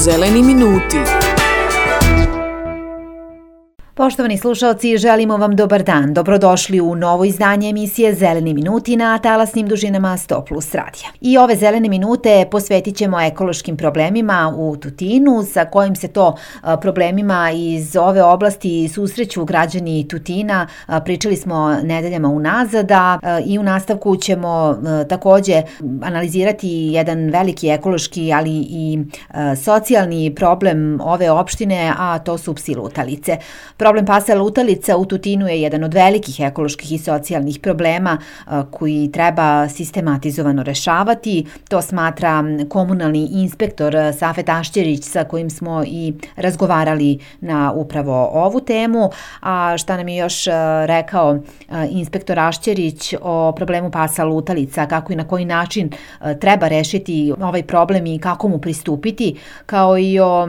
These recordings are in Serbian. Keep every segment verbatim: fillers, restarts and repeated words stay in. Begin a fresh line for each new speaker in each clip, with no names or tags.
Zeleni minuti.
Poštovani slušaoci, želimo vam dobar dan. Dobrodošli u novo izdanje emisije Zeleni minuti na talasnim dužinama sto plus radija. I ove zelene minute posvetit ćemo ekološkim problemima u Tutinu, sa kojim se to problemima iz ove oblasti susreću građani Tutina. Pričali smo nedeljama unazad, a i u nastavku ćemo takođe analizirati jedan veliki ekološki, ali i socijalni problem ove opštine, a to su psi lutalice. Problem pasa lutalica u Tutinu je jedan od velikih ekoloških i socijalnih problema koji treba sistematizovano rešavati. To smatra komunalni inspektor Safet Ašćerić, sa kojim smo i razgovarali na upravo ovu temu. A šta nam je još rekao inspektor Ašćerić o problemu pasa lutalica, kako i na koji način treba rešiti ovaj problem i kako mu pristupiti, kao i o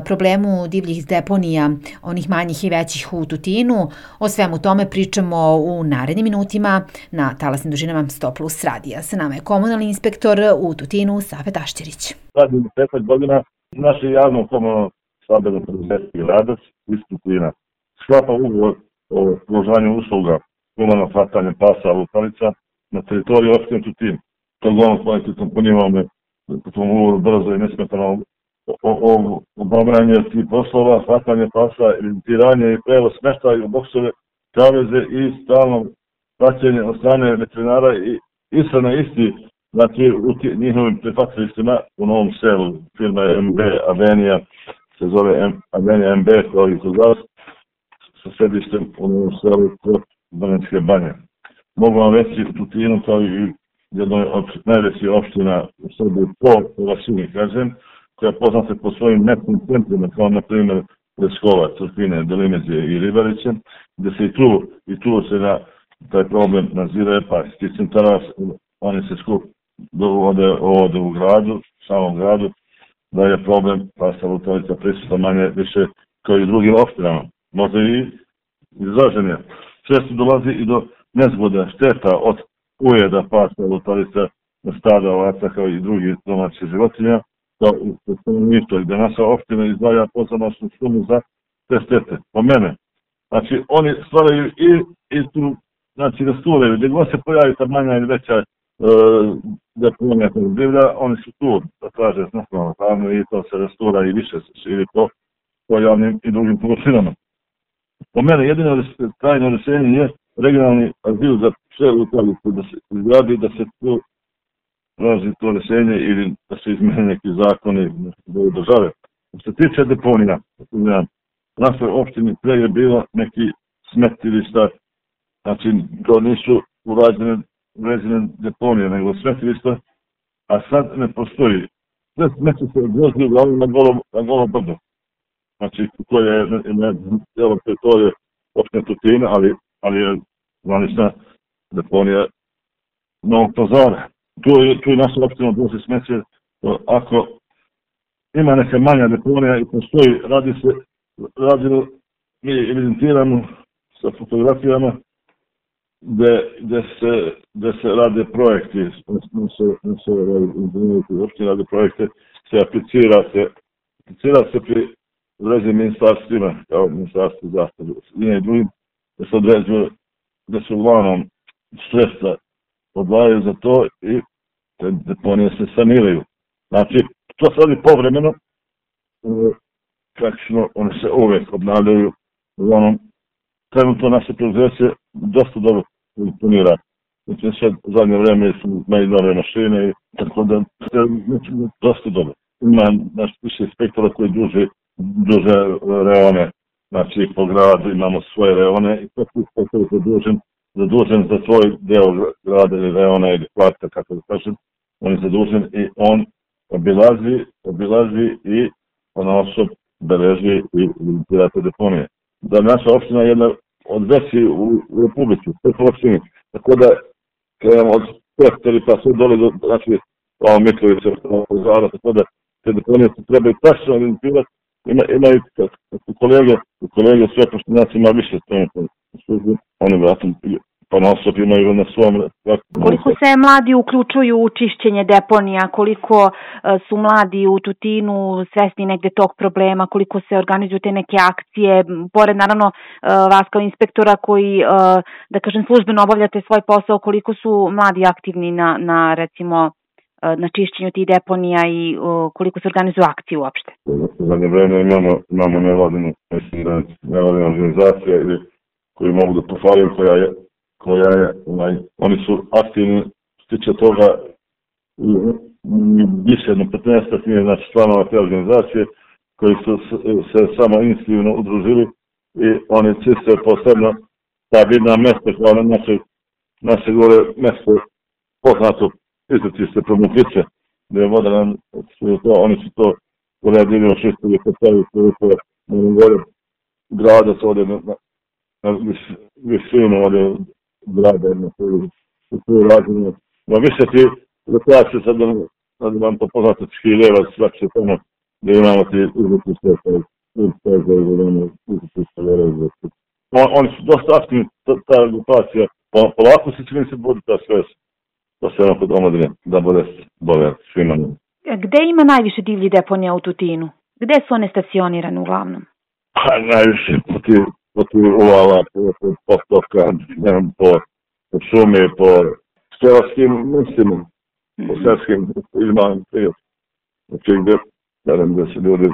problemu divljih deponija, onih manjih i većih u Tutinu. O svemu tome pričamo u narednim minutima na talasnim dužinama sto plus radija. Sa nama je komunalni inspektor u Tutinu Safet Ašćerić.
Radim deset godina, naše javno komunalno stambeno preduzeće Gradac iz Tutina sklapa ugovor o pružanju usluga komunalnog hvatanja pasa lutalica na teritoriji opštine Tutin. To uglavnom kvalitetno punivamo po tom ugovoru brzo i nesmetano o obavljanje tih poslova, hvatanje pasa, evidentiranje i prevoz smeštaja u boksove, kaveze i stalno praćenje od strane veterinara i ishrana isti, znači u njihovim prihvatilištima u Novom Selu. Firma je M B Avenija, se zove Avenija M B, kao i kod vas, sa sedištem u Novom Selu kod Banatske banje. Mogu vam reći u Tutinu, kao i jednoj od najvećih opština u Srbiji po površini, kažem, koja je poznata po svojim netnim centrima, kao na primjer Leskovac, Crpine, Delimezije i Ribariće, gdje se i tu, i tu se na taj problem nazire, pa iz tih centara oni se skup dovode ovdje u gradu, samom gradu, da je problem pasa lutalica prisutan manje više kao i drugim opštinama. Možda i izraženje. Često dolazi i do nezgoda, šteta od ujeda pasa lutalica na stada ovaca kao i drugih domaćih životinja, kao i stanovništvo, gdje naša opština izdvaja pozamašnu sumu za te štete. Po mene. Znači, oni stvaraju i, i tu, znači, rasturaju. Gdje god se pojavi ta manja ili veća e, deponija tog divlja, oni su tu, da traže značajno pravno i to se rastura i više se širi po, po javnim i drugim površinama. Po mene, jedino trajno rješenje je regionalni azil za sve lutalice, da se izgradi, da se tu traži to rješenje ili da se izmene neki zakoni do države. Što se tiče deponija, u našoj opštini pre je bilo neki smetilišta, znači to nisu urađene uređene deponije, nego smetilišta, a sad ne postoji. Sve smeće se odvozi uglavnom na golo, na golo brdo. Znači, to je na cijelom teritoriju opštine Tutina, ali, ali je zvanična deponija Novog Pazara. Tu je, tu je naša opština odvozi smeće. Ako ima neka manja deponija i postoji, radi se, radimo, mi evidentiramo sa fotografijama gde, gde, se, gde se rade projekti, ne se, ne se uopšte rade projekte, se aplicira se, aplicira se pri određenim ministarstvima, kao ministarstvo zaštite i drugim, da se određuje, da se uglavnom sredstva odvajaju za to i te deponije se saniraju. Znači, to se radi povremeno, praktično one se uvek obnavljaju, uglavnom, trenutno naše preduzeće dosta dobro funkcionira. Znači, sad u zadnje vreme su imali nove mašine i tako da se dosta dobro. Ima naš više inspektora koji duže, duže reone, znači po gradu imamo svoje reone i tako inspektor je zadužen, zadužen za svoj deo grada ili reona ili kvarta, kako da kažem, on je zadužen i on obilazi, obilazi i ponaosob beleži i evidentira te deponije. Da naša opština je jedna od većih u, u Republici, sve po opštini, tako da krenemo od Pehteri pa sve dole do, znači, ovo Mitrovića, Zara, tako da te deponije se trebaju tačno evidentirati. Ima, imaju kolege, kolege sve poštinaci ima više strane službe, oni vratim pa non stop imaju na svom...
Koliko se mladi uključuju u čišćenje deponija, koliko uh, su mladi u Tutinu svesni negde tog problema, koliko se organizuju te neke akcije, pored naravno uh, vas kao inspektora koji, uh, da kažem, službeno obavljate svoj posao, koliko su mladi aktivni na, na recimo, uh, na čišćenju tih deponija i uh, koliko se organizuju akcije uopšte?
U zadnje vreme imamo, imamo nevladinu, mislim da nevladina organizacija ili koji mogu da pohvalim, koja je koja je, ovaj, oni su aktivni stiče toga više jedno petnaest nije, znači članova te organizacije koji su se samo inicijativno udružili i oni čiste posebno ta vidna mesta kao na naše, naše gore mesto poznato izletište Promuklice, gdje je voda nam, to, oni su to uredili očistili postavili koje na gore grada su ovdje na, na visinu ovdje grada na svoju razinu. No više ti rekreacije sad da vam to poznate Škiljeva, svakše tamo gdje imamo ti izletište oni su dosta aktivni, ta grupacija, polako se čini se bude ta svest da se ono kod omladine, da bude bolje svima.
Gde ima najviše divlji deponija u Tutinu? Gde su one stacionirane uglavnom?
Pa najviše po ti uvala, po postoka, po šumi, po selarskim mislima, po selskim izmalim prijateljima. Znači gde, gde se ljudi,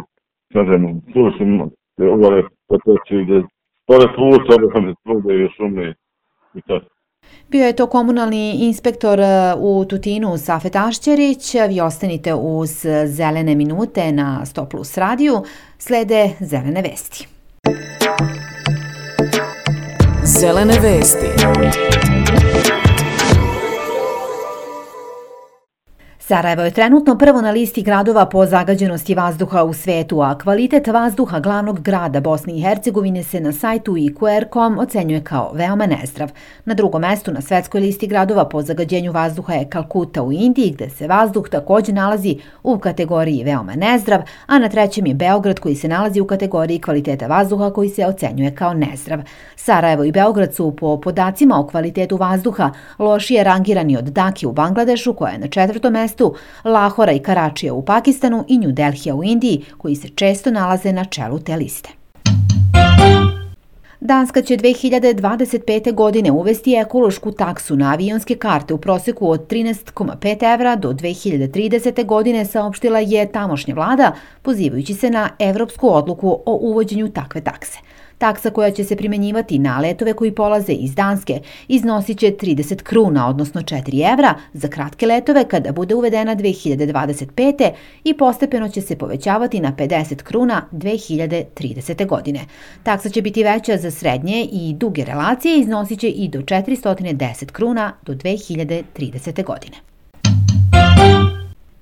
kažem, slušim, gde uvale potoci, gde pored puta, gde trude i šume i tako.
Bio je to komunalni inspektor u Tutinu Safet Ašćerić. Vi ostanite uz zelene minute na sto plus radiju. Slede zelene vesti.
Zelene vesti.
Sarajevo je trenutno prvo na listi gradova po zagađenosti vazduha u svetu, a kvalitet vazduha glavnog grada Bosne i Hercegovine se na sajtu i ku er tačka com ocenjuje kao veoma nezdrav. Na drugom mestu na svetskoj listi gradova po zagađenju vazduha je Kalkuta u Indiji, gde se vazduh također nalazi u kategoriji veoma nezdrav, a na trećem je Beograd koji se nalazi u kategoriji kvaliteta vazduha koji se ocenjuje kao nezdrav. Sarajevo i Beograd su po podacima o kvalitetu vazduha lošije rangirani od Dake u Bangladešu koja je na četvrtom mestu, Lahora i Karačija u Pakistanu i New Delhija u Indiji, koji se često nalaze na čelu te liste. Danska će dve hiljade dvadeset pete. godine uvesti ekološku taksu na avionske karte u proseku od trinaest zarez pet evra do dve hiljade tridesete. godine, saopštila je tamošnja vlada, pozivajući se na evropsku odluku o uvođenju takve takse. Taksa koja će se primjenjivati na letove koji polaze iz Danske iznosit će trideset kruna, odnosno četiri evra, za kratke letove kada bude uvedena dve hiljade dvadeset pete. i postepeno će se povećavati na pedeset kruna dve hiljade tridesete. godine. Taksa će biti veća za srednje i duge relacije i iznosit će i do četiristo deset kruna do dve hiljade tridesete. godine.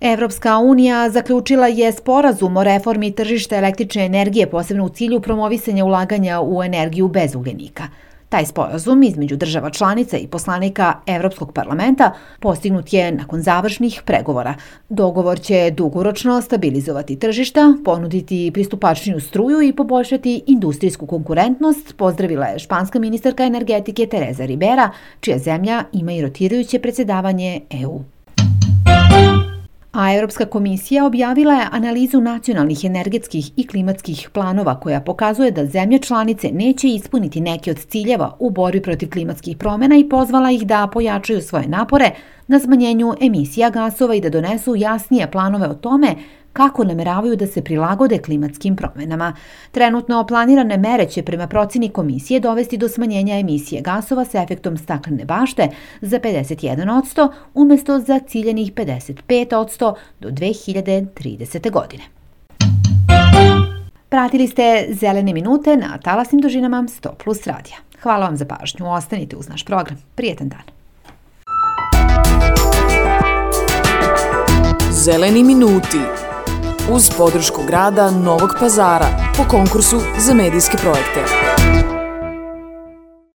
Evropska unija zaključila je sporazum o reformi tržišta električne energije, posebno u cilju promovisanja ulaganja u energiju bez ugljenika. Taj sporazum između država članica i poslanika Evropskog parlamenta postignut je nakon završnih pregovora. Dogovor će dugoročno stabilizovati tržišta, ponuditi pristupačniju struju i poboljšati industrijsku konkurentnost, pozdravila je španska ministarka energetike Teresa Ribera, čija zemlja ima i rotirajuće predsjedavanje E U. A Europska komisija objavila je analizu nacionalnih energetskih i klimatskih planova koja pokazuje da zemlje članice neće ispuniti neke od ciljeva u borbi protiv klimatskih promjena i pozvala ih da pojačaju svoje napore na smanjenju emisija gasova i da donesu jasnije planove o tome kako nameravaju da se prilagode klimatskim promjenama. Trenutno planirane mere će prema procjeni komisije dovesti do smanjenja emisije gasova sa efektom staklene bašte za pedeset jedan posto umjesto za ciljenih pedeset pet posto do dve hiljade tridesete. godine. Pratili ste zelene minute na talasnim dužinama sto plus radija. Hvala vam za pažnju. Ostanite uz naš program. Prijetan dan.
Zeleni minuti uz podršku grada Novog Pazara po konkursu za medijske projekte.